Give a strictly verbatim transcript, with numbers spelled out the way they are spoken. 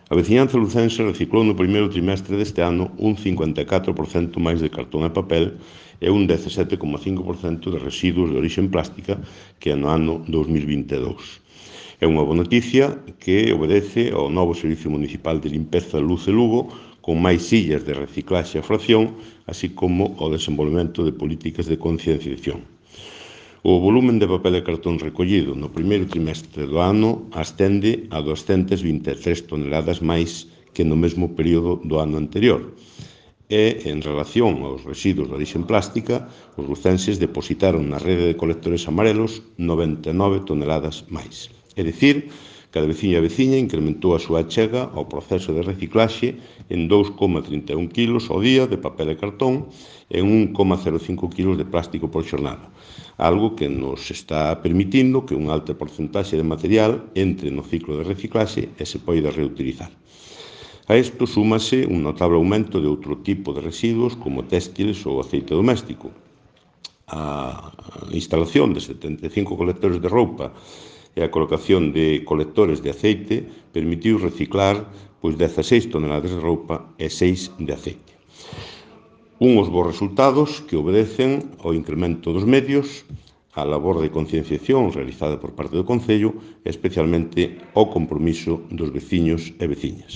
A veciñanza lucense reciclou no primeiro trimestre deste ano un cincuenta e catro por cento máis de cartón e papel e un dezasete coma cinco por cento de residuos de orixe plástica que no ano dos mil vinte e dous. É unha boa noticia que obedece ao novo Servicio Municipal de Limpeza Luce Lugo, con máis sillas de reciclaxe e fracción, así como o desenvolvemento de políticas de concienciación. O volumen de papel e cartón recollido no primeiro trimestre do ano ascende a doscientas vinte e tres toneladas máis que no mesmo período do ano anterior. E, en relación aos residuos de orixe plástica, os lucenses depositaron na rede de colectores amarelos noventa e nove toneladas máis. É dicir, cada veciño e veciña incrementou a súa achega ao proceso de reciclaxe en dous coma trinta e un quilos ao día de papel e cartón e un coma cero cinco quilos de plástico por xornada, algo que nos está permitindo que unha alta porcentaxe de material entre no ciclo de reciclaxe e se poida reutilizar. A isto súmase un notable aumento de outro tipo de residuos como téxtiles ou aceite doméstico. A instalación de setenta e cinco colectores de roupa e a colocación de colectores de aceite permitiu reciclar pois dezaseis toneladas de roupa e seis de aceite. Unhos bons resultados que obedecen ao incremento dos medios, a labor de concienciación realizada por parte do Concello e especialmente ao compromiso dos veciños e veciñas.